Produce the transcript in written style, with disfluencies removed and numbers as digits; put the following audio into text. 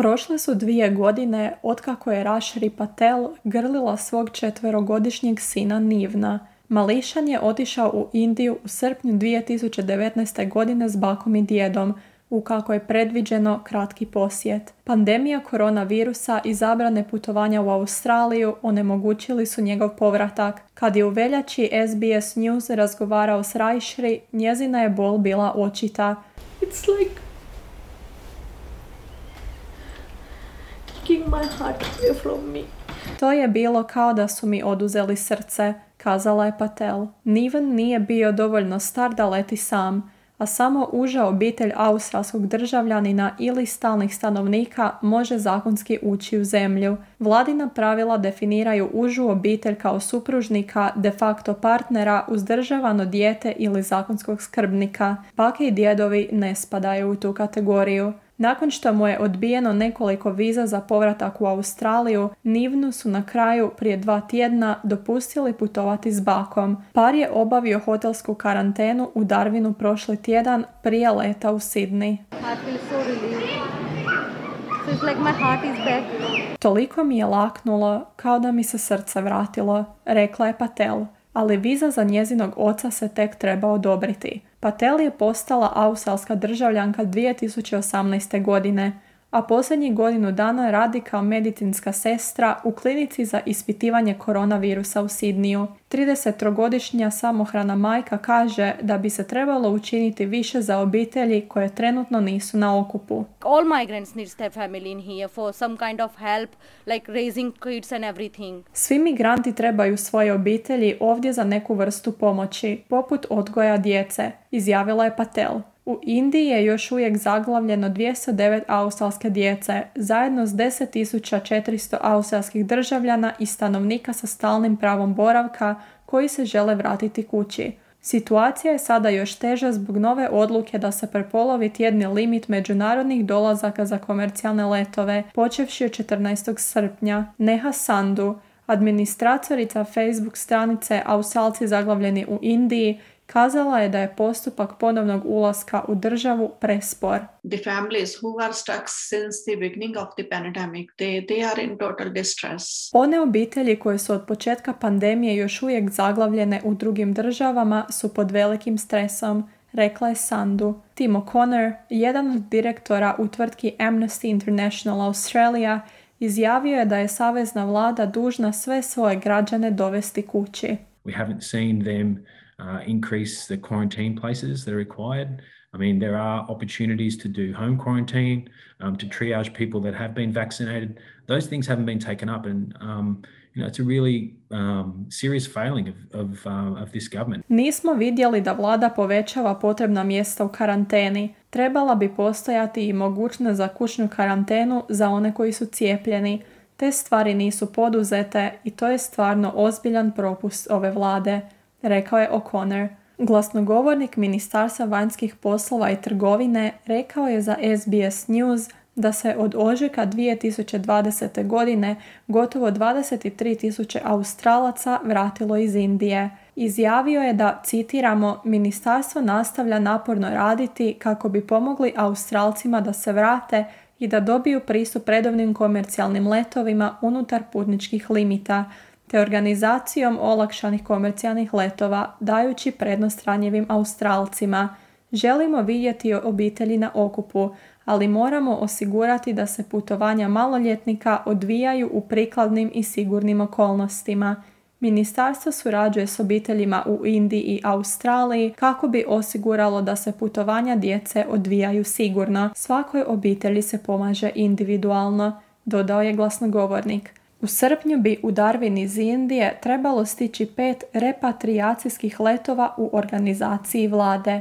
Prošle su 2 godine otkako je Rashri Patel grlila svog 4-godišnjeg sina Nivna. Mališan je otišao u Indiju u srpnju 2019. godine s bakom i djedom, u kako je predviđeno kratki posjet. Pandemija koronavirusa i zabrane putovanja u Australiju onemogućili su njegov povratak. Kad je u veljači SBS News razgovarao s Rashri, njezina je bol bila očita. It's like taking my heart away from me. To je bilo kao da su mi oduzeli srce, kazala je Patel. Niven nije bio dovoljno star da leti sam, a samo uža obitelj australskog državljanina ili stalnih stanovnika može zakonski ući u zemlju. Vladina pravila definiraju užu obitelj kao supružnika, de facto partnera, uzdržavano dijete ili zakonskog skrbnika. Bake i djedovi ne spadaju u tu kategoriju. Nakon što mu je odbijeno nekoliko viza za povratak u Australiju, Nivnu su na kraju prije 2 tjedna dopustili putovati s bakom. Par je obavio hotelsku karantenu u Darwinu prošli tjedan prije leta u Sydney. Toliko mi je laknulo kao da mi se srce vratilo, rekla je Patel, ali viza za njezinog oca se tek treba odobriti. Patel je postala australska državljanka 2018. godine, a posljednjih godinu dana radi kao medicinska sestra u klinici za ispitivanje koronavirusa u Sydneyu. 33-godišnja samohrana majka kaže da bi se trebalo učiniti više za obitelji koje trenutno nisu na okupu. All migrants need their family in here for some kind of help, like raising kids and everything. Svi migranti trebaju svoje obitelji ovdje za neku vrstu pomoći, poput odgoja djece, izjavila je Patel. U Indiji je još uvijek zaglavljeno 209 australske djece, zajedno s 10.400 australskih državljana i stanovnika sa stalnim pravom boravka koji se žele vratiti kući. Situacija je sada još teža zbog nove odluke da se prepolovi tjedni limit međunarodnih dolazaka za komercijalne letove, počevši od 14. srpnja. Neha Sandhu, administratorica Facebook stranice Australci zaglavljeni u Indiji, kazala je da je postupak ponovnog ulaska u državu prespor. The families who are stuck since the beginning of the pandemic, they are in total distress. One obitelji koje su od početka pandemije još uvijek zaglavljene u drugim državama su pod velikim stresom, rekla je Sandhu. Tim O'Connor, jedan od direktora u tvrtki Amnesty International Australia, izjavio je da je savezna vlada dužna sve svoje građane dovesti kući. We haven't seen them increase the quarantine places that are required. I mean, there are opportunities to do home quarantine, to triage people that have been vaccinated. Those things haven't been taken up, and it's a really serious failing of this government. Nismo vidjeli da vlada povećava potrebna mjesta u karanteni. Trebala bi postojati i mogućnost za kućnu karantenu za one koji su cijepljeni. Te stvari nisu poduzete i to je stvarno ozbiljan propust ove vlade, rekao je O'Connor. Glasnogovornik Ministarstva vanjskih poslova i trgovine rekao je za SBS News da se od ožujka 2020. godine gotovo 23.000 Australaca vratilo iz Indije. Izjavio je da, citiramo, ministarstvo nastavlja naporno raditi kako bi pomogli Australcima da se vrate i da dobiju pristup redovnim komercijalnim letovima unutar putničkih limita, te organizacijom olakšanih komercijalnih letova, dajući prednost ranjivim Australcima. Želimo vidjeti obitelji na okupu, ali moramo osigurati da se putovanja maloljetnika odvijaju u prikladnim i sigurnim okolnostima. Ministarstvo surađuje s obiteljima u Indiji i Australiji kako bi osiguralo da se putovanja djece odvijaju sigurno. Svakoj obitelji se pomaže individualno, dodao je glasnogovornik. U srpnju bi u Darwin iz Indije trebalo stići 5 repatrijacijskih letova u organizaciji vlade.